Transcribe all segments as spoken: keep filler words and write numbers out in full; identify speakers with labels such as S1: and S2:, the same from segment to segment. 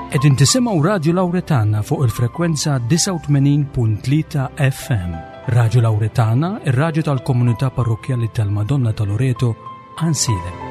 S1: Qegħdin tisimgħu Radju Lawretana fuq il-frekwenza disgħa u tmenin punt tlieta F M. Radju Lawretana, ir-radju tal-komunità parrokkjali tal-Madonna ta' Loreto, Għajnsielem.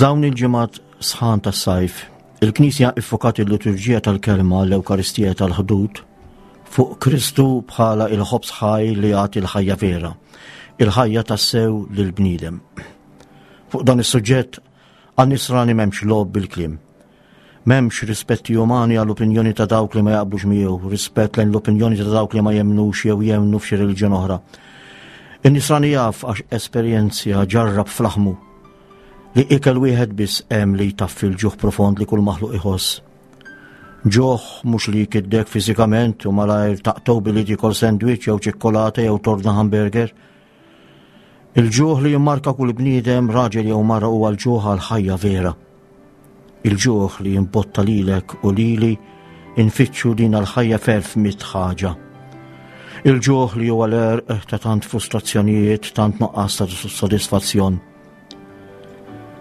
S2: F'dawn il-ġimgħat sħan tas-sajf, il-Knisja iffokat il-liturġija tal-kelma l-Ewkaristija tal-ħdud fuq Kristu bħala il-ħobż ħaj li jagħti l-ħajja vera, il-ħajja tassew lill-bniedem. Fuq dan is-suġġett għan-nisrani m'hemmx logħob bil-kliem. M'hemmx rispetti umani għall-opinjoni ta' dawk li ma jaqblux miegħu, rispett lejn l-opinjoni ta' dawk li ma jemmnux jew jemmnu f'xi reliġjon oħra. In-nisrani jaf għax esperjenzja ġarrab fl-aħmu li ikel wieħed biss hemm li jtaffi l-ġuħ profond li kull maħluq iħoss. Ġuħ mhux li jkiddek fiżikament u malajr taqtgħu billi tiekol sandwich jew ċikkolata jew torna hamburger. Il-ġuħ li jimmarka kull bniedem, raġel jew mara, huwa l-ġuħ għal ħajja vera. Il-ġuħ li jimbotta lilek u lili infittxu din għal-ħajja ferf mit ħaġa. Il-ġuħ li huwa l-għerq ta' tant frustrazzjonijiet, tant nuqqas ta' sodisfazzjon.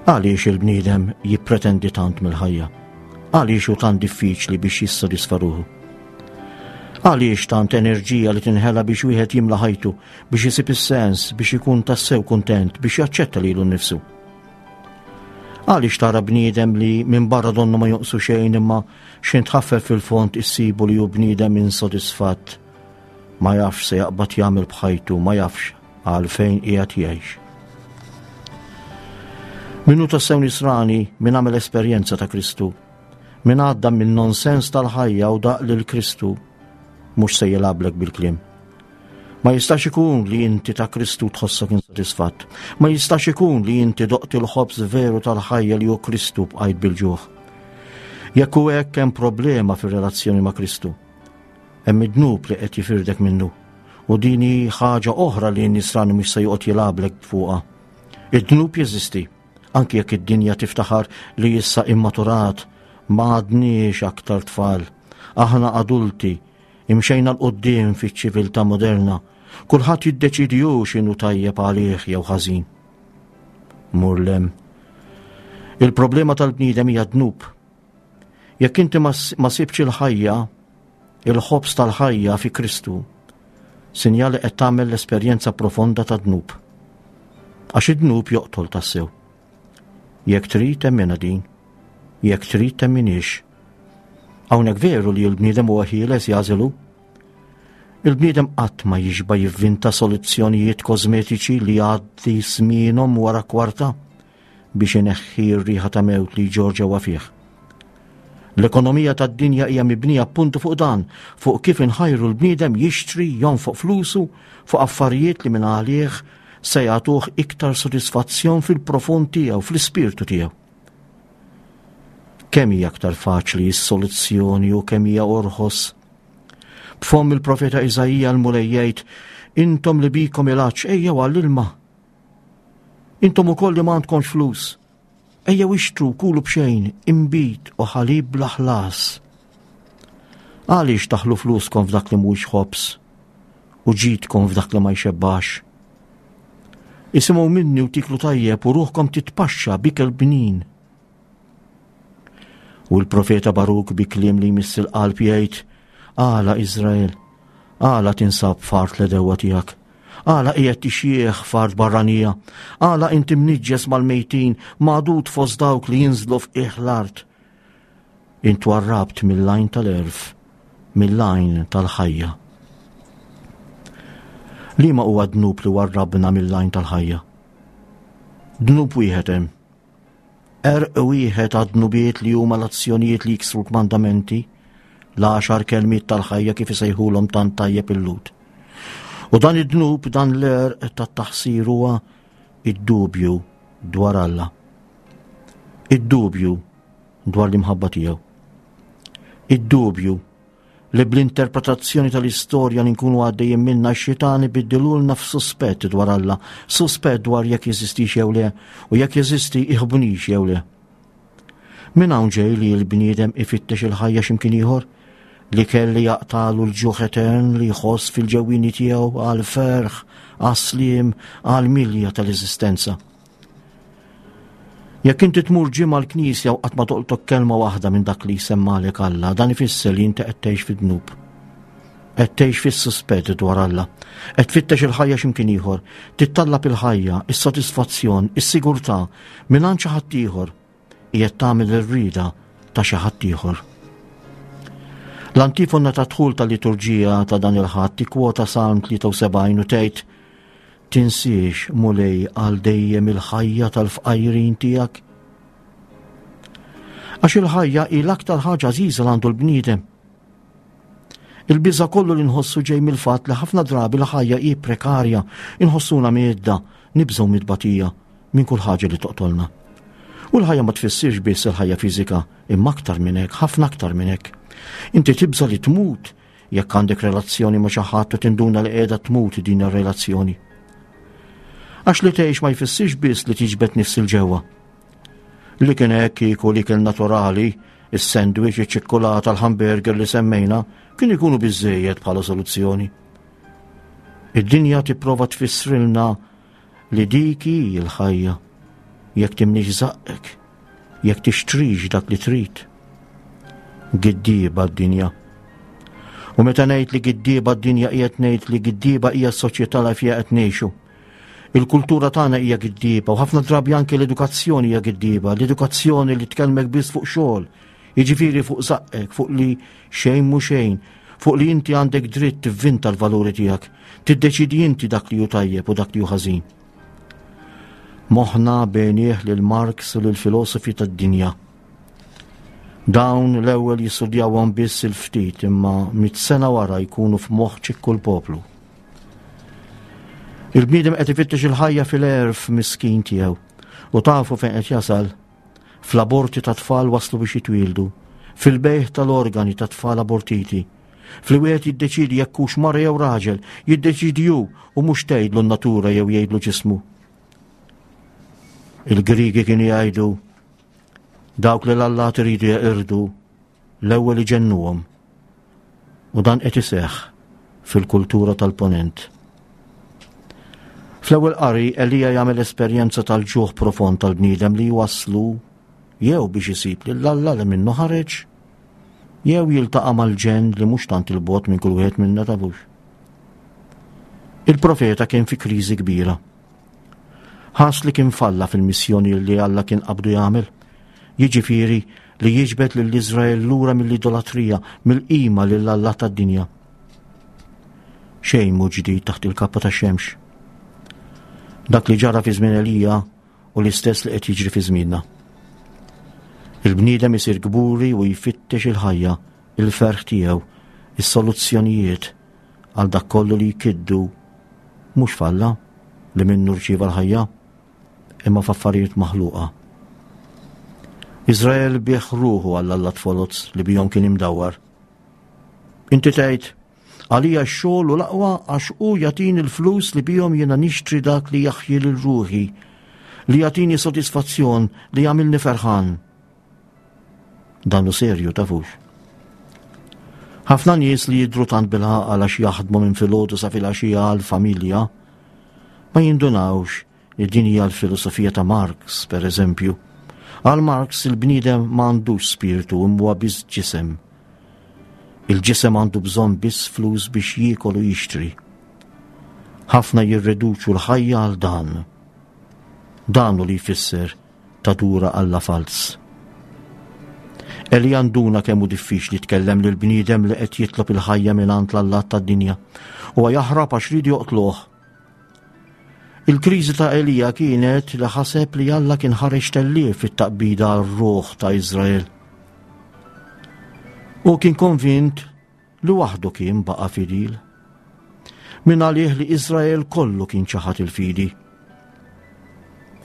S2: Għaliex il-bniedem jippretendi tant mill-ħajja? Għaliex hu tant diffiċli biex jissodisfa ruħu? Għaliex tant enerġija li tinħela biex wieħed jimla ħajtu, biex isib is-sens, biex ikun tassew kuntent, biex jaċċetta lilu nnifsu? Għaliex tara bniedem li minn barra donnu ma jonqsu xejn imma xejn tħaffef fil-fond issibu li hu bniedem insodisfatt, ma jafx se jaqbad jagħmel b'ħajtu, ma jafx għalfejn qiegħed jgħix. Minnu tassew nisrani, min għamel esperjenza ta' Kristu, min għadda minn nonsens tal-ħajja u daq lil Kristu, mhux se jilgħablek bil-kliem. Ma jistax ikun li inti ta' Kristu tħossok insodisfatt. Ma jistax ikun li inti doqt il-ħobż veru tal-ħajja li hu Kristu bqajt bil-ġuħ. Jekk hu hekk hemm problema fir-relazzjoni ma' Kristu. Hemm id-dnub li qed jifirdek minnu. U din hi ħaġa oħra li n-nisrani mhux se joqgħod jilgħablek fuqha. Id-dnub jeżisti. Anki jekk id-dinja tiftaħar li issa immaturat, ma għadniex aktar tfal. Aħna adulti, imxejna l-qoddim fiċ-ċiviltà moderna. Kulħadd jiddeċidi hu x'inhu tajjeb għalih jew ħażin. Mur lem. Il-problema tal-bniedem hija dnub. Jekk inti ma s-, ma sibx il-ħajja, il-ħobż tal-ħajja fi Kristu, sinjali qed tagħmel l-esperjenza profonda ta' dnub. Għax id-dnub joqtol tassew. Jekk trid temmina din, jekk trid temminix. Hawnhekk veru li l-bniedem huwa ħieles jażilu. Il-bniedem qatt ma jixba jivvinta soluzzjonijiet kosmetiċi li jgħaddi żmienhom wara kwarta biex ineħħi r-riħa ta' mewt li ġor ġewwa fih. L-ekonomija tad-dinja hija mibnija appuntu fuq dan, fuq kif inħajru l-bniedem jixtri, jonfoq flusu fuq affarijiet li minn għalih se jagħtuh iktar sodisfazzjon fil-profond tiegħu, fl-ispirtu tiegħu. Kemm hija aktar faċli s-soluzzjoni u kemm hija orħos. B'fomm il-profeta Iżaija l-Mulej jgħid, intom li bikom il-għatx ejjew għall-ilma. Intom ukoll li ma għandkomx flus, ejjew ixtru kulu b'xejn, inbid u ħalib bla ħlas. Għaliex taħlu fluskom f'dak li mhuwiex ħobż u ġidkom f'dak li ma jxebbax? Isimgħu minni u tiklu tajjeb u ruħkom titpaxxa bikel bnin. U l-profeta Baruk bi kliem li jmiss il-qalb jgħid, għala Iżrael, għala tinsab f'art l-edewwa tiegħek, għala qiegħed tixjieħ f'art barranija, għala inti mniġġes mal-mejtin, magħdud fost dawk li jinżlu f'qiegħ l-art. Int warrabt mill-għajn tal-għerf, mill-għajn tal-ħajja. Liema huwa dnub li warrabna mill-għajn tal-ħajja? Dnub wieħed hemm. Għerq wieħed għad-dnubiet li huma l-azzjonijiet li jiksru l-kmandamenti, l-għaxar kelmiet tal-ħajja kif isejħulhom tant tajjeb il-Lhud. U dan id-dnub, dan l-għerq tat-taħsir huwa id-dubju dwar Alla. Id-dubju dwar l-imħabba tiegħu. Id-dubju Li bl-interpretazzjoni tal-istorja li nkunu għaddejjin minna x-xitan ibiddilulna f'suspett dwar Alla, suspett dwar jekk jeżistix jew le, u jekk jeżisti iħbunix jew le. Min hawn ġej li l-bniedem ifittex il-ħajja x'imkien ieħor, li kelli jaqtalu l-ġuħ etern li jħoss fil-ġewwini tiegħu għal ferħ, għas-sliem, għal milja tal-eżistenza. Jekk inti tmur ġimgħa l-knisja u qatt ma toqtok kelma waħda minn dak li jsemmalek Alla, dan ifisser li inti qed tgħix fid-dnub. Qed tgħix fis-suspett dwar Alla. Qed tfittex il-ħajja x'imkien ieħor, tittallab il-ħajja, is-sodisfazzjon, is-sigurtà mingħand xi ħadd ieħor. Qiegħed tagħmel ir-rieda ta' xi ħadd ieħor. L-antifona ta' dħul tal-liturġija ta' dan il-Ħadd tikkwota Salm tlieta u sebgħin u tgħid: Tinsiex, Mulej, għal dejjem il-ħajja tal-fqajrin tiegħek. Għax il-ħajja hi l-aktar ħaġa għażiża li għandu l-bniedem. Il-biża' kollu li nħossu ġej mill-fatt li ħafna drabi l-ħajja hi prekarja, inħossuna miedda, nibżgħu mid-batija minn kull ħaġa li toqtolna. U l-ħajja ma tfissirx biss il-ħajja fiżika, imma aktar minn hekk, ħafna aktar minn hekk. Inti tibża' li tmut jekk għandek relazzjoni ma' xi ħadd u tinduna li qiegħda tmut din ir-relazzjoni. Għax li tgħix ma jfissirx biss li tiġbed nifs il-ġewwa. Li kien hekk kieku li kien naturali, is-sandwich, iċ-ċikkulata, l-hamburger li semmejna, kien ikunu biżżejjed bħala soluzzjoni. Id-dinja tipprova tfissrilna li dik hi l-ħajja, jekk timlix żaqqek, jekk tixtrix dak li trid. Giddieba d-dinja. U meta ngħid li giddieba d-dinja qiegħed ngħid li giddieba hija s-soċjetà li fiha qed ngħixu. Il-kultura tagħna hija giddieba u ħafna drabi anke l-edukazzjoni hija giddieba, l-edukazzjoni li tkellmek biss fuq xogħol, jiġifieri fuq żaqqek, fuq li xejn mhu xejn, fuq li inti għandek dritt tivvinta l-valuri tiegħek, tiddeċidi inti dak li hu tajjeb u dak li hu ħażin. Moħħna bejnieh lil Marx u lil filosofi tad-dinja. Dawn l-ewwel jistudjawhom biss il-ftit imma mit sena wara jkunu f'moħħ ċikku l-poplu. Il-bniedem qed ifittex il-ħajja fil-għerf miskin tiegħu u tafu fejn qed jasal. Fl-aborti ta' tfal waslu biex jitwieldu, fil-bejħ tal-organi ta' tfal abortiti, fli wieħed jiddeċidi jekk hux mara jew raġel, jiddeċidi hu u mhux tgħidlu n-natura jew jgħidlu ġismu. Il-Grigi kienu jgħidu dawk li l-allat iridu jeqirdu l-ewwel iġennuhom. U dan qed iseħħ fil-kultura tal-ponent. Fl-ewwel qari Elija jagħmel esperjenza tal-ġuħ profond tal-bniedem li jwasslu jew biex isib lil Alla li minnu ħareġ, jew jiltaqa' mal-ġenn li mhux tant il-bogħod minn kull wieħed minna tafux. Il-profeta kien fi kriżi kbira. Ħass li kien falla fil-missjoni li Alla kien qabdu jagħmel, jiġifieri li jiġbed lil Iżrael lura mill-idolatrija, mill-qima lil Alla tad-dinja. Xejn mhu ġdid taħt il-kappa tax-xemx. Dak li ġara fi żmien Elija u l-istess li qed jiġri fi żmienna. Il-bniedem isir kburi u jfittex il-ħajja, il-ferħ tiegħu, is-soluzzjonijiet għal dak kollu li jkiddu mhux falla li minnu rċieva l-ħajja, imma f'affarijiet maħluqa. Iżrael bih ruħu għal Alla tfoloz li bihom kien imdawwar. Inti tgħid, għalija x-xogħol u l-aqwa għax hu jagħtini l-flus li bihom jiena nixtri dak li jaħji lil ruħi, li jagħtini sodisfazzjon, li jagħmilni ferħan. Dan hu serju tafux. Ħafna nies li jidhru tant bil-għaqal għax jaħdmu minn filgħodu sa filgħaxija għall-familja ma jindunawx li din hija l-filosofija ta' Marx, per eżempju. Għal Marx il-bniedem ma għandux spiritu imma huwa biss ġisem. Il-ġisem għandu bżonn biss flus biex jiekol u jixtri. Ħafna jirreduċu l-ħajja għal dan. Dan hu li jfisser tadura Alla fals. Elija nduna kemm hu diffiċli tkellem lil bniedem li qed jitlob il-ħajja mingħand l-allat tad-dinja. Huwa jaħrab għax ridu joqtluh. Il-kriżi ta' Elija kienet li ħaseb li Alla kien ħareġ tellief fit-taqbida għar-ruħ ta' Iżrael. U kien konvint li waħdu kien baqa' fidil. Min għalih li Iżrael kollu kien ċaħad il-fidi.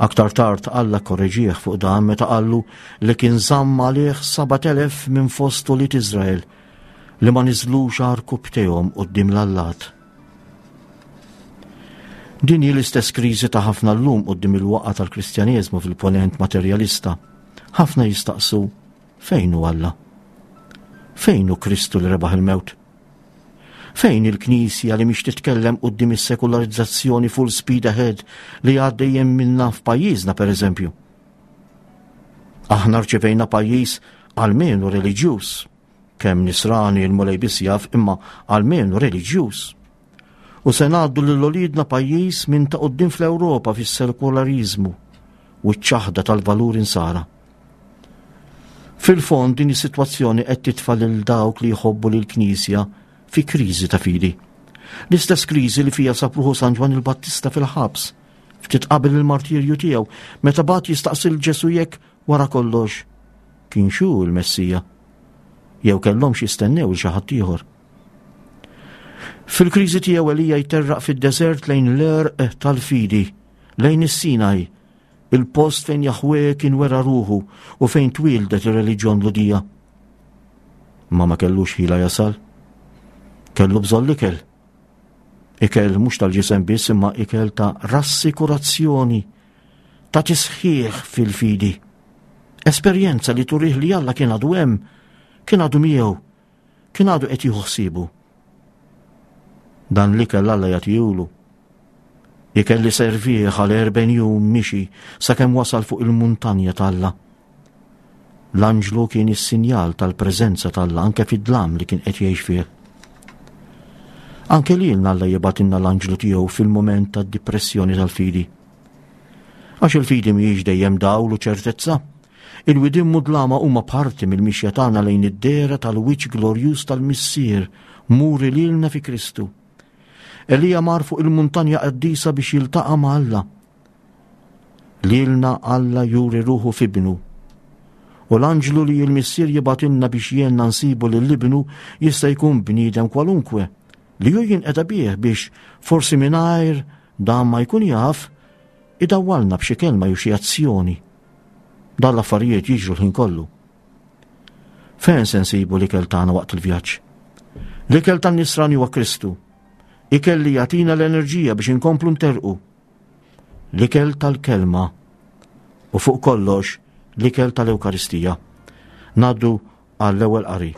S2: Aktar tard Alla korreġih fuq dan meta qallu li kien żamm għalih sebat elef minn fost ulied Iżrael li ma niżlux għarkupptejhom quddiem l-allat. Din hi l-istess kriżi ta' ħafna llum quddiem il-waqgħa tal-Kristjaneżmu fil-ponent materjalista. Ħafna jistaqsu fejn hu Alla? Fejn hu Kristu li rebaħ il-mewt? Fejn il-Knisja li mhix titkellem quddiem is-sekularizzazzjoni full speed ahead li għaddejjem minna f'pajjiżna pereżempju? Aħna rċevejna pajjiż almenu reliġjuż, kemm nisrani l-Mulej biss jaf, imma almenu reliġjuż. U se ngħaddu lil uliedna pajjiż minn ta' quddiem fl-Ewropa fis-sekulariżmu u ċ-ċaħda tal-valuri nsara. Fil-fond din is-sitwazzjoni qed titfa' lil dawk li jħobbu lill-Knisja fi kriżi ta' fidi. L-istess kriżi li fija sab ruħu San Ġwann il-Battista fil-ħabs, ftit qabel il-martirju tiegħu, meta bagħat jistaqsi lil Ġesù jekk wara kollox kienx hu l-Messija, jew kellhomx jistennew lil xi ħadd ieħor. Fil-kriżi tiegħu Elija jterraq fid-deżert lejn l-għerq tal-fidi, lejn is-Sinaj, il-post fejn Jaħweh kien wera ruħu u fejn twieldet ir-reliġjon Lhudija. Ma ma kellux ħila jasal. Kellu bżonn l-ikel. Ikel mhux tal-ġisem biss imma ikel ta' rassikurazzjoni, ta' tisħiħ fil-fidi. Esperjenza li turih li Alla kien għadu hemm, kien għadu miegħu, kien għadu qed jieħu ħsiebu. Dan l-ikel Alla jagħtihulu. Ikel li servih għal erbgħin jum mixi sakemm wasal fuq il-muntanja t'Alla. L-anġlu kien is-sinjal tal-preżenza t'Alla anke fid-dlam li kien qed jgħix fih. Anke lilna Alla jibgħatilna l-anġlu tiegħu fil-mument tad-dipressjoni tal-fidi. Għax il-fidi mhijiex dejjem dawl u ċertezza. Il-widien mudlama huma parti mill-mixja tagħna lejn id-dehra tal-wiċċ glorjuż tal-Missier muri lilna fi Kristu. Elija mar fuq il-muntanja qaddisa biex jiltaqa' ma' Alla. Lilna Alla juri ruħu f'ibnu. U l-anġlu li l-Missier jibgħatilna biex jgħinna nsibu lil ibnu jista' jkun bniedem kwalunkwe li hu jinqeda bih biex forsi mingħajr dan ma jkun jaf idawwalna b'xi kelma jew xi azzjoni. Dan l-affarijiet jiġru l-ħin kollu. Fejn se nsibu l-ikel tagħna waqt il-vjaġġ? L-ikel tan-nisrani huwa Kristu. Ikel li jagħtina l-enerġija biex inkomplu nterqu. L-ikel tal-kelma u fuq kollox l-ikel tal-Ewkaristija. Ngħaddu għall-ewwel qari.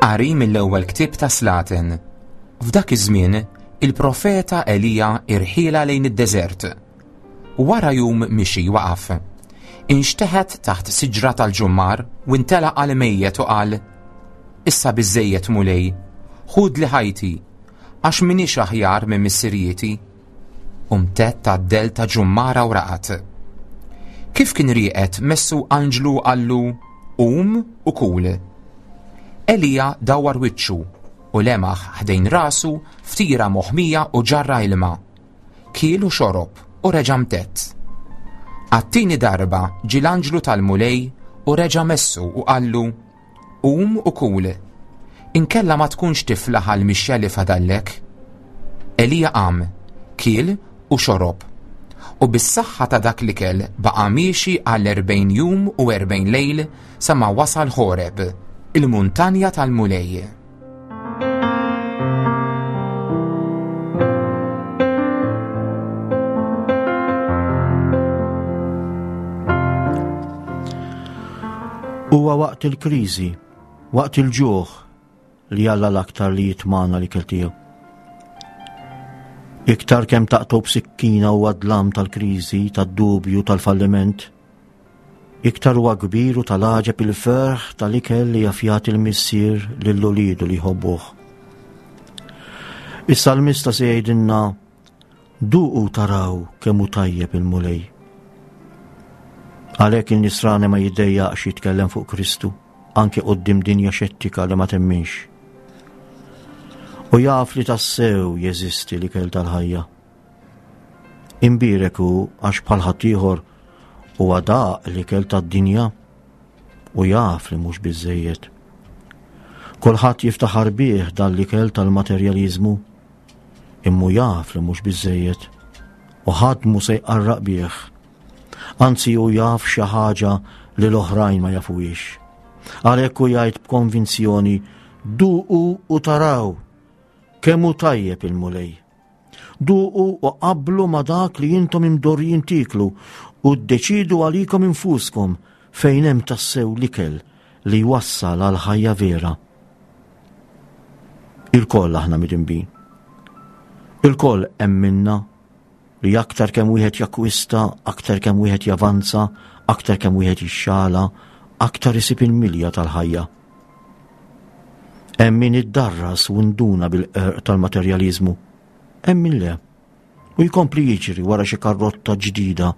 S3: Qari mill-ewwel ktieb ta' Slaten. F'dak iż-żmien, il-profeta Elija irħiela lejn id-deżert. Wara jum mixi waqaf. Inxteħet taħt siġra tal-ġummar u intelaq għal mejjet u qal: Issa biżżejjed Mulej, ħud li ħajti, għax minix aħjar minn missirijieti. U mtedd għad-dell ta' ġummara u raqad. Kif kien rieqed messu anġlu qallu: Qum u kul. Elija dawwar wiċċu u lemaħ ħdejn rasu ftira moħmija u ġarra ilma. Kiel u xorob u reġa' mtedd. Għat-tieni darba ġie l-anġlu tal-Mulej u reġa' messu u qallu: Qum u kul, inkella ma tkunx tiflaħ għal mixja li fadallek. Elija qam, kiel u xorob, u bis-saħħa ta' dak l-ikel baqa' miexi għal erbgħin jum u erbgħin lejl sa ma wasal Ħoreb, il-muntanja tal-Mulej.
S2: Huwa waqt il-kriżi, waqt il-ġuħ li Alla l-aktar li jitmana l-ikel tiegħu. Iktar kemm taqtgħu b'sikkina huwa dlam tal-kriżi, tad-dubju, tal-falliment, iktar huwa kbir u tal-għaġeb il-ferħ tal-ikel li jaf jagħti l-Missier lil uliedu li jħobbuh. Is-salmista se jgħidilna: Duqu taraw kemm hu tajjeb il-Mulej. Għalhekk in-nisrani ma jiddejjaqx jitkellem fuq Kristu, anke quddiem dinja xettika li ma temminx. U jaf li tassew jeżisti l-ikel tal-ħajja. Imbierek hu għax bħal ħaddieħor huwa daq l-ikel tad-dinja u jaf li mhux biżżejjed. Kulħadd jiftaħar bih dan l-ikel tal-materjaliżmu, imma jaf li mhux biżżejjed u ħadd mhu se jqarraq bih. Anzi hu jaf xi ħaġa li l-oħrajn ma jafuhiex. Għalhekk hu jgħid b'konvinzjoni, duqu u taraw kemm hu tajjeb il-Mulej. Duqu u qablu ma dak li intom imdorrijin tieklu u ddeċidu għalikom infuskom fejn hemm tassew l-ikel li jwassal għal ħajja vera. Ilkoll aħna midinbin. Ilkoll hemm minna li aktar kemm wieħed jakkwista, aktar kemm wieħed javanza, aktar kemm wieħed jixxala, aktar isib il-milja tal-ħajja. Hemm min iddarras u nduna bil-qerq tal-materjaliżmu, hemm min le. U jkompli jiġri wara xi karrotta ġdida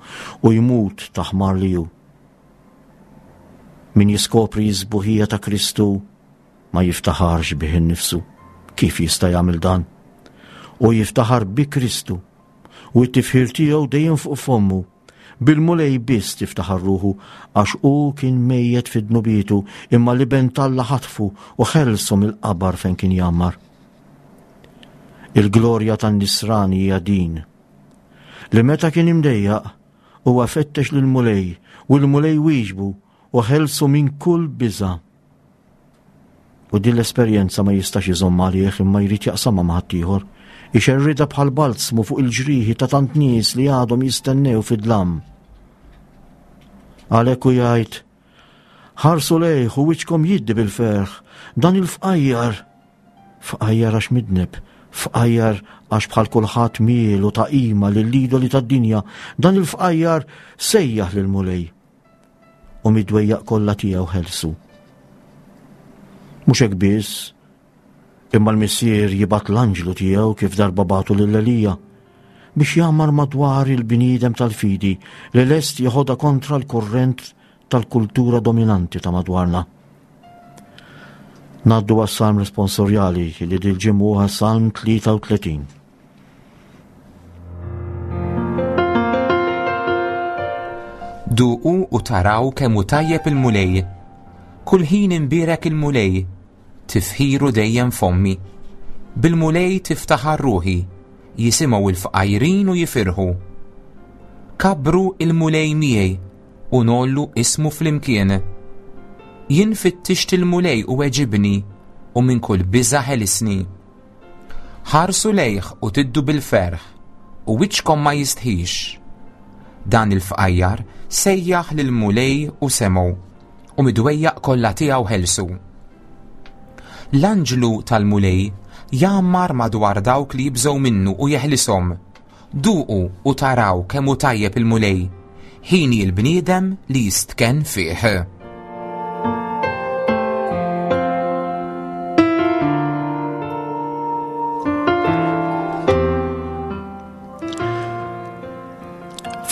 S2: u jmut ta' ħmar li hu. Min jiskopri s-sbuħija ta' Kristu ma jiftaħarx bih innifsu. Kif jista' jagħmel dan? U jiftaħar bi Kristu u t-tifħir tiegħu dejjem fuq fommu. Bil-Mulej biss tiftaħar ruħu għax hu kien mejjet fi dnubietu imma l-Iben t'Alla ħatfu u ħelsu mill-qabar fejn kien jgħammar. Il-glorja tan-nisrani hija din, li meta kien imdejjaq huwa fettex lill-Mulej u l-Mulej wieġbu u ħelsu minn kull biża'. U din l-esperjenza ma jistax iżomm għalih imma jrid jaqsamha ma' ħaddieħor. Ixerridha bħal balzmu fuq il-ġrieħi ta' tant nies li għadhom jistennew fid-dlam. Għalhekk hu jgħid, ħarsu lejh u wiċċkom jiddi bil-ferħ, dan il-fqajjar. Fqajjar għax midneb, fqajjar għax bħal kulħadd miel u ta' qima lill-idoli tad-dinja, dan il-fqajjar sejjaħ lill-Mulej u mid-dwejjaq kollha tiegħu ħelsu. Mhux hekk biss, imma l-Missier jibgħat l-anġlu tiegħu kif darba bagħtu lil Elija biex jagħmar madwar il-bniedem tal-fidi li lest jeħodha kontra l-kurrent tal-kultura dominanti ta' madwarna. Ngħaddu għas-salm responsorjali li dil-ġimgħa huwa Salm tlieta u tletin.
S3: Duqu u taraw kemm hu tajjeb il-Mulej. Kull ħin imbierek il-Mulej, tifħiru dejjem fommi. Bil-Mulej tiftaħar ruħi, jisimgħu l-fqajrin u jifirħu. Kabbru il-Mulej miegħi u nollu ismu flimkien. Jien fittixt il-Mulej u weġibni u minn kull biża' ħelisni. Ħarsu lejh u tiddu bil-ferħ u wiċċkom ma jistħix. Dan il-fqajjar sejjaħ lill-Mulej u semgħu u mid-dwejjaq kollha tiegħu ħelsu. L-anġlu tal-Mulej jgħammar madwar dawk li jibżgħu minnu u jeħlishom. Duqu u taraw kemm hu tajjeb il-Mulej, ħini l-bniedem li jistkenn fih.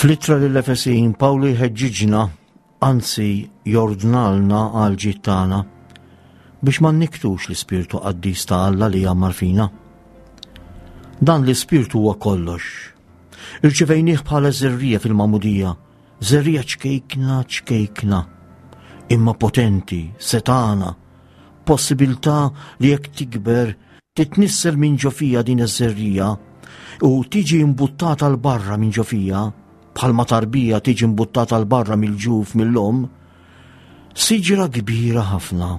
S2: Fl-ittra lill-Efesin, Pawlu jħeġġiġna, anzi jordnalna għal ġid tagħna, biex ma nniktux l-Ispirtu Qaddis ta' Alla li jgħammar fina. Dan l-Ispirtu huwa kollox. Irċivejnieh bħala żerriegħa fil-magħmudija, żerriegħa ċkejkna ċkejkna, imma potenti, setana, possibilità li jekk tikber titnissel minn ġo fija din iż-żerriegħa u tiġi imbuttata 'l barra minn ġo fija, bħalma tarbija tiġi imbuttata 'l barra mill-ġuf mill-omm, siġra kbira ħafna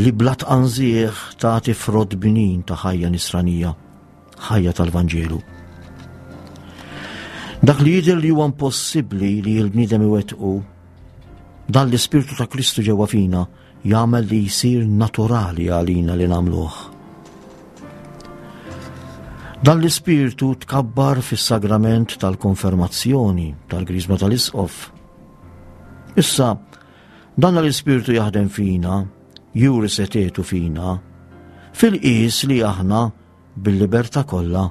S2: li bla tqanżieħ tagħti frott bnin ta' ħajja nisranija, ħajja tal-Vanġelu. Dak li jidher li huwa impossibbli li l-bniedem iwettqu, dan l-Ispirtu ta' Kristu ġewwa fina jagħmel li jsir naturali għalina li nagħmluh. Dan l-Ispirtu tkabbar fis-sagrament tal-konfermazzjoni tal-Griżma tal-Isqof. Issa, dan l-Ispirtu jaħdem fina, juri setgħetu fina, fil-qis li aħna bil-libertà kollha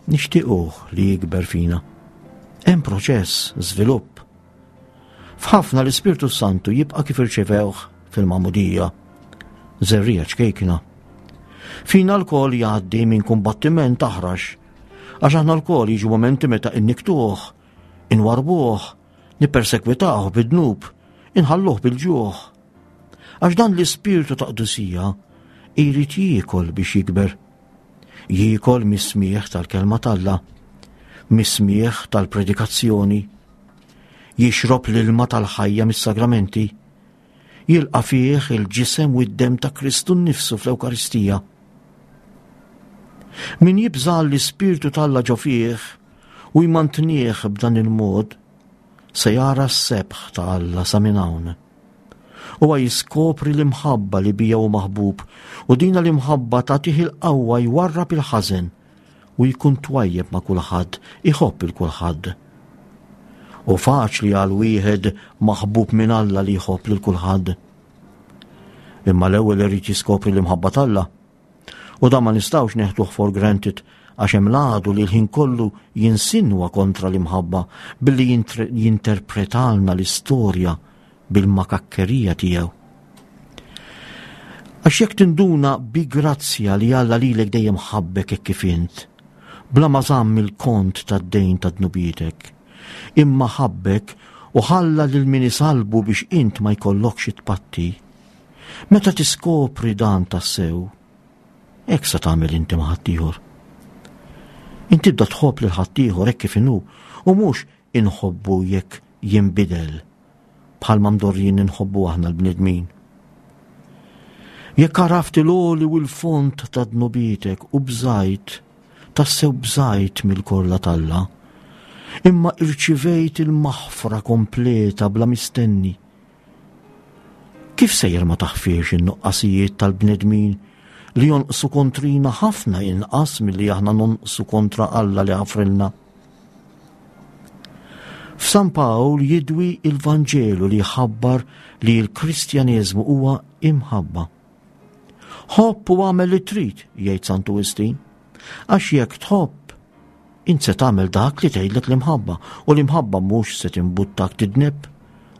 S2: nixtiequh li jikber fina. Hemm proċess, żvilupp. F'ħafna l-Ispirtu Santu jibqa' kif irċevewh fil-magħmudija, żerriegħa ċkejkna. Fina lkoll jgħaddi minn kumbattiment aħrax, għax aħna lkoll jiġu momenti meta inniktuh, inwarbuh, nippersekwitawh bid-dnub, inħalluh bil-ġuħ. Għax dan l-ispirtu ta' qdusija jrid jiekol biex jikber. Jiekol mis-smigħ tal-kelma t'Alla, mis-smigħ tal-predikazzjoni, Jixrob l-ilma tal-ħajja mis-sagramenti. Jilqa' fih il-ġisem u d-demm ta' Kristu nnifsu fl-Ewkaristija. Min jibża' l-Ispirtu t'Alla ġo fih u jmantnih b'dan il-mod, se jara s-sebħ ta' Alla sa minn hawn. Huwa jiskopri l-imħabba li bija hu maħbub, u dina l-imħabba tagħtih il-qawwa jwarrab il-ħażen u jkun twajjeb ma' kulħadd, iħobb il kulħadd. U faċli għal wieħed maħbub minn Alla li jħobb lil kulħadd. Imma l-ewwel irid jiskopri l-imħabba t'Alla. U dan ma nistgħux neħduh for granted, għax hemm l-għadu li l-ħin kollu jinsinwa kontra l-imħabba billi jinterpretalna l-istorja bil-makakkerija tiegħu. Għax jekk tinduna bi grazzja li Alla lilek dejjem ħabbek hekk kif int, bla ma żamm il-kont tad-dejn ta' dnubietek, imma ħabbek u ħalla lil min isalbu biex int ma jkollokx tpatti. Meta tiskopri dan tassew, hekk se tagħmel inti ma' ħaddieħor. Inti tibda tħobb lil ħaddieħor hekk kif inhu, u mhux inħobbu jekk jinbidel, bħalma mdorrijin inħobbu aħna l-bnedmin. Jekk għaraft il-għoli u l-fond ta' dnubietek u bżajt, tassew bżajt mill-korla t'Alla, imma irċivejt il-maħfra kompleta bla mistenni. Kif sejjer ma taħfirx in-nuqqasijiet tal-bnedmin li jonqsu kontrina ħafna inqas milli aħna nonqsu kontra Alla li ħafrilna? F'San Pawl jidwi il-Vanġelu li jħabbar li l-Kristjaneżmu huwa imħabba. Ħobb u għamel li trid, jgħid Santu Wistin, għax jekk tħobb, int se tagħmel dak li tgħidlek l-imħabba, u l-imħabba mhux se timbuttak tidneb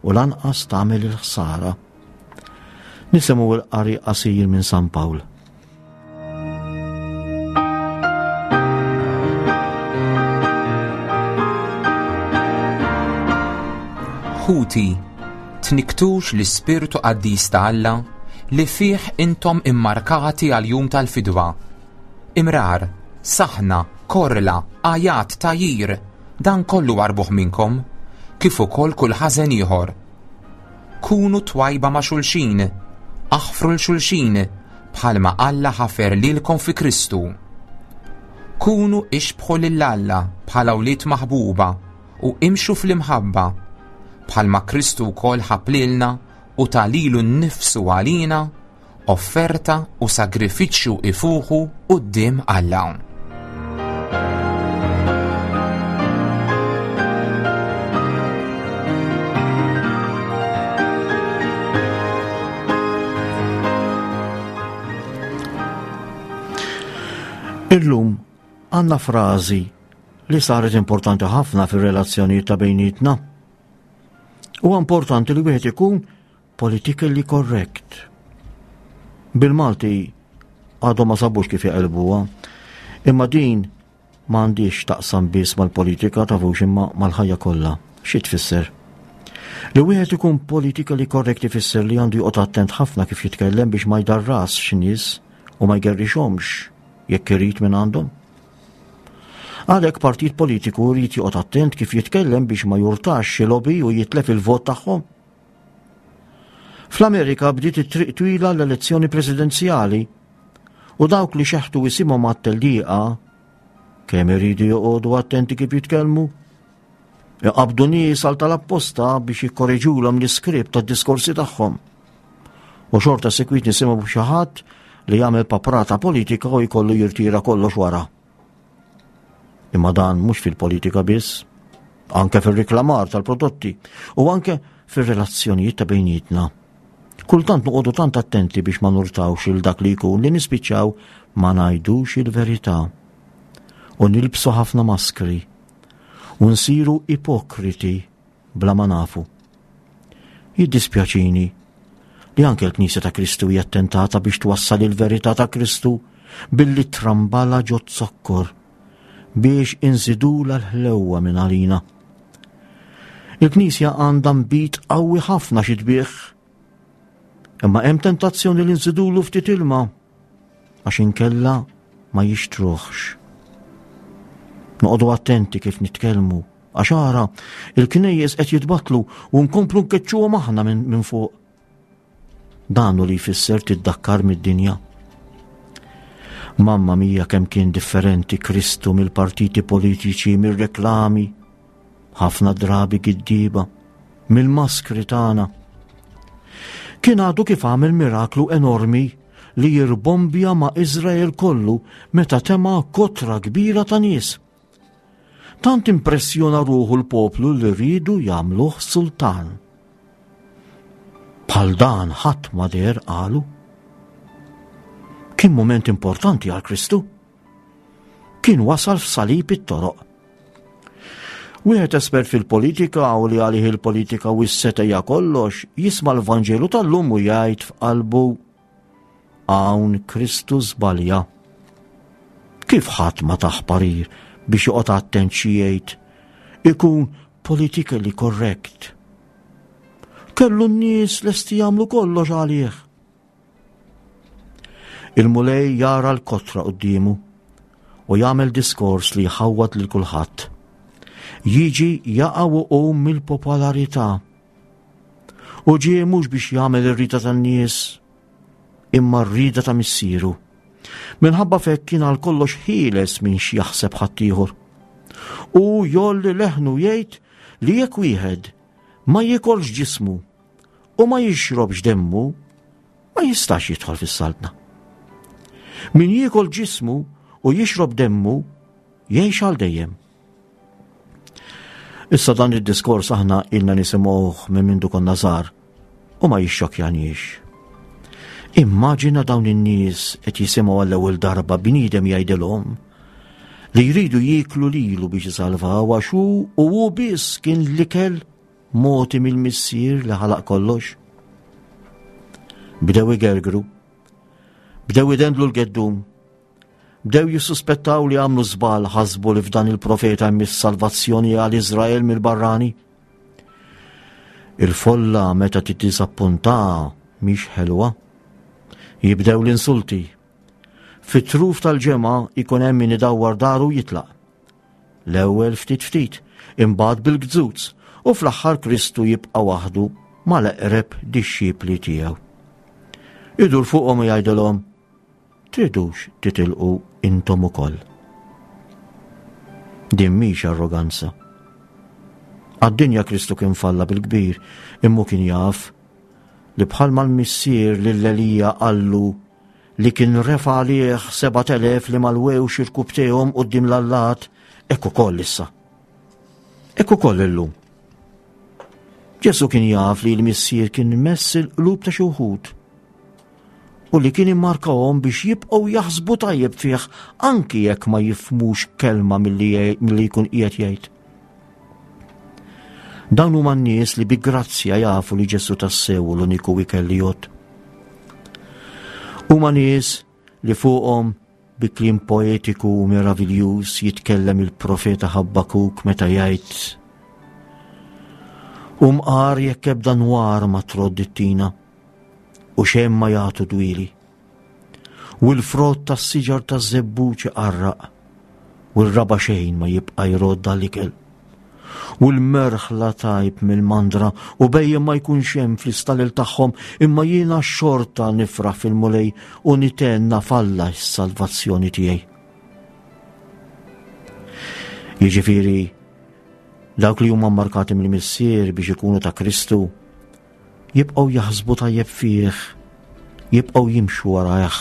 S2: u lanqas tagħmel il-ħsara. Nisimgħu l-qari qasir minn San Pawl.
S3: Ħuti, tniktux l-Ispirtu Qaddis ta' Alla li fih intom immarkati għal jum tal-fidwa. Imrar, saħna, korla, għajat, tajir, dan kollu warbuh minnkom, kif ukoll kull ħażen ieħor. Kunu twajba ma' xulxin, aħfru l xulxin, bħalma Alla ħafer lilkom fi Kristu. Kunu ixbħu lil Alla bħala wlied maħbuba u imxu fl-imħabba, bħalma Kristu wkoll ħabb lilna u ta lilu nnifsu għalina, offerta u sagrifiċċju ifuħu quddiem Alla.
S2: Illum għandna frażi li saret importanti ħafna fir-relazzjonijiet ta' bejnietna. Huwa importanti li wieħed ikun politically correct. Bil-Malti għadhom ma sabux kif jaqilbuha, imma din m'għandix taqsam biss mal-politika tafux imma mal-ħajja kollha. Xi tfisser? Li wieħed ikun politically correct ifisser li għandu joqgħod attent ħafna kif jitkellem biex ma jdarrasx nies u ma jgerrixhomx jekk irid minn għandhom. Għalhekk partit politiku jrid joqgħod attent kif jitkellem biex ma jurtax xi lobby u jitlef il-vot tagħhom. Fl-Amerika bdiet it-triq twila l-elezzjoni presidenzjali u dawk li xeħtu isimhom għat-tellieqa kemm iridu joqogħdu attenti kif jitkellmu. Iqabdu nies għal tal-apposta biex jikkoreġulhom l-iskript tad-diskorsi tagħhom. U xorta sekwit nisimgħu xi ħadd li jagħmel paprata politika u jkollu jirtira kollox wara. Imma dan mhux fil-politika biss, anke fir-riklamar tal-prodotti u anke fir-relazzjonijiet ta' bejnietna. Kultant noqogħdu tant attenti biex ma nurtawx il dak li jkun li nispiċċaw ma ngħidux il-verità. U nilbsu ħafna maskri u nsiru ipokriti bla ma nafu. Jiddispjaċini li anke l-Knisja ta' Kristu hija attentata biex twassal il-verità ta' Kristu billi trambala ġo zokkor biex inżidula l-ħlewwa minn għalina. Il-Knisja għandha nbid qawwi ħafna xi tbigħ, imma hemm tentazzjoni li nżidulu ftit ilma għax inkella ma jixtruħx. Noqogħdu attenti kif nitkellmu Għax ara, il-knejjes qed jitbattlu u nkomplu nkeċċuhom aħna minn min fuq. Dan hu li jfisser tiddakkar mid-dinja. Mamma mia kemm kien differenti Kristu mill-partiti politiċi, mir-reklami, ħafna drabi giddiba, mill-maskri tagħna. Kien għadu kif għamel miraklu enormi li jirbombja ma' Izrael kollu meta tema kotra kbira ta' nies. Tant impressjona ruħu l-poplu li rridu jagħmluh sultan. Bħal dan ħadd ma deher qalu. Kien moment importanti għal Kristu. Kien wasal f'salib it-toroq. Wieħed espert fil-politika u li għalih il-politika u s-setgħa hija kollox, jisma' l-Vanġelu tal-lum u jgħid f'qalbu hawn Kristu żbalja. Kif ħadd ma tah parir biex joqgħod attent xi jgħid, ikun politically correct. Kellu n-nies lesti jagħmlu kollox għalih. Il-Mulej jara l-kotra quddiemu u jagħmel diskors li jħawwad lil kulħadd. Jiġi jaqa' u jqum mill-popolarità. U ġie mhux biex jagħmel ir-rida tan-nies, imma r-rida ta' missieru. Minħabba f'hekk kien għal kollox ħieles minn xi jaħseb ħaddieħor. U jgħolli leħnu jgħid li jekk wieħed ma jikolx ġismu u ma jixrobx demmu, ma jistax jidħol fis-saltna. Min jiekol ġismu u jixrob demmu, jgħix għal dejjem. Issa dan id-diskors aħna ilna nisimgħuh minn mindu konna żgħar u ma jixxokjaniex. Immaġina dawn in-nies qed jisimgħu għall-ewwel darba bniedem jgħidilhom li jridu jieklu lilu biex isalvaw għax hu u hu biss kien l-ikel mogħti mill-missier li ħalaq kollox. Bdew igergru, bdew idendlu l-geddum, bdew jissuspettaw li għamlu żball, ħasbu li f'dan il-profeta hemm is-salvazzjoni għal Iżrael mill-barrani. Il-folla meta tiddiżappunta mhix ħelwa. Jibdew l-insulti. Fit-truf tal-ġemgħa ikun hemm min idawwar daru jitlaq. L-ewwel ftit ftit, imbagħad bil-gżuz, u fl-aħħar Kristu jibqa' waħdu mal-eqreb dixxipli tiegħu. Idur fuqhom u jgħidilhom, tridux titilqu intom ukoll. Din mhix arroganza. Għad-dinja Kristu kien falla bil-kbir, imma kien jaf li bħalma l-missier lil Elija qallu li kien refa' għalih sebat elef li malwewx irkubtejhom quddiem l-allat, hekk ukoll issa. Hekk ukoll illum. Ġesu kien jaf li l-missier kien mess il-qlub ta' xi wħud u li kien immarkahom biex jibqgħu jaħsbu tajjeb fih anki jekk ma jifhmux kelma milli milli jkun qiegħed jgħid. Dawn huma n-nies li bi grazzja jafu li Ġesu tassew l-uniku ikel li jgħodd. Huma nies li fuqhom bi kliem poetiku u meraviljuż jitkellem il-profeta Ħabbakuk meta jgħid: U mqar jekk ebda nwar ma trodd it-tina u xejn ma jagħtu dwieli. U l-frott tas-siġar taż-żebbuġ iqarraq u r-raba xejn ma jibqa' jrodd għall-ikel. U l-merħla tajb mill-mandra u bejjem ma jkunx hemm fl-istalel tagħhom, imma jiena xorta nifraħ fil-Mulej u nitenna f'Alla s-salvazzjoni tiegħi. Jiġifieri, dawk li huma mmarkati mill-Missier biex ikunu ta' Kristu jibqgħu jaħsbu tajjeb fih, jibqgħu jimxu warajh,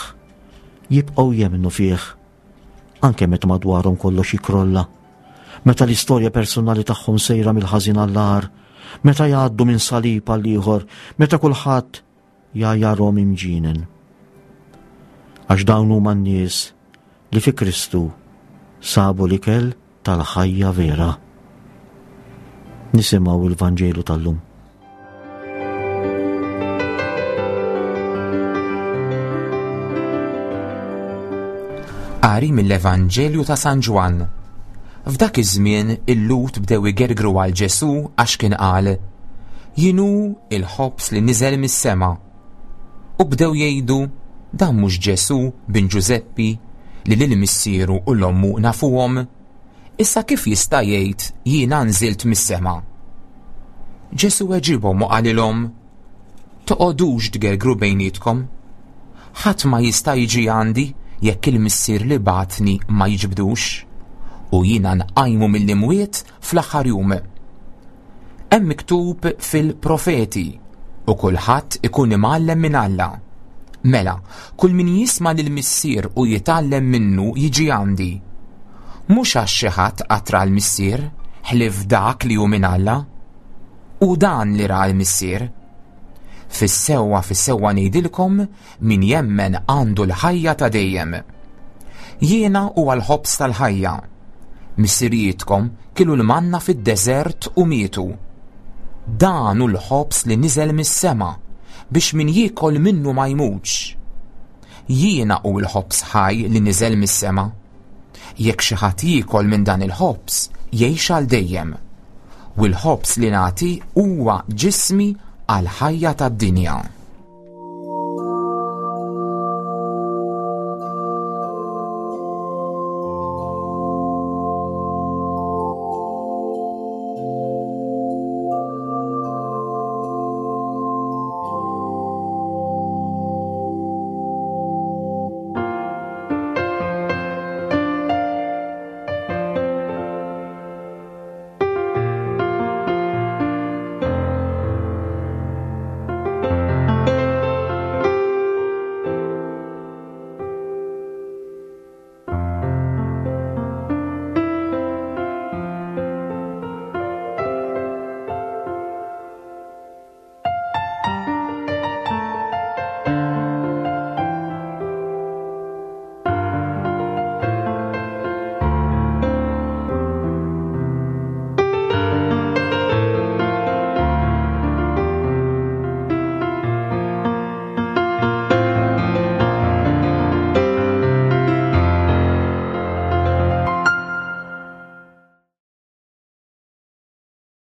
S2: jibqgħu jemmnu fih, anke meta madwarhom kollox jikrolla, meta l-istorja personali tagħhom sejra mill-ħażin għall-agħar, meta jgħaddu minn salib għal ieħor, meta kulħadd jgħajarhom imġinen. Għax dawn huma n-nies li fi Kristu sabu l-ikel tal-ħajja vera. Nisimgħu il-Vanġelu tal-lum.
S3: Qari mill-Evanġelju ta' San Ġwann. F'dak iż-żmien il-Lhud bdew igergru għal Ġesù għax kien qal: Jien hu il-ħobż li niżel mis-sema. U bdew jgħidu: Dan mhux Ġesù bin Ġużeppi li lil missieru u l-ommu nafuhom? Issa kif jista' jgħid jiena nżilt mis-sema? Ġesù weġibhom u qalilhom, Toqogħdux tgergru bejnietkom. Ħadd ma jista' jiġi għandi jekk il-Missier li bagħatni ma jiġbdux, u jiena nqajmu mill-imwiet fl-aħħar jum. Hemm miktub fil-profeti, u kulħadd ikun imgħallem minn Alla. Mela, kull min jisma' lill-Missier u jitgħallem minnu jiġi għandi. Mhux għax xi ħadd qatt ra l-Missier, ħlief dak li hu minn Alla. U dan li ra l-Missier. Fis-sewwa fis-sewwa ngħidilkom min jemmen għandu l-ħajja ta' dejjem. Jiena huwa l-ħobż tal-ħajja. Missirijietkom kielu l-manna fid-deżert u mietu. Dan hu l-ħobż li niżel mis-sema biex min jiekol minnu ma jmutx. Jiena hu l-ħobż ħaj li niżel mis-sema. Jekk xi ħadd jiekol minn dan il-ħobż, jgħix għal dejjem. U l-ħobż li nagħti huwa ġismi għall-ħajja tad-dinja.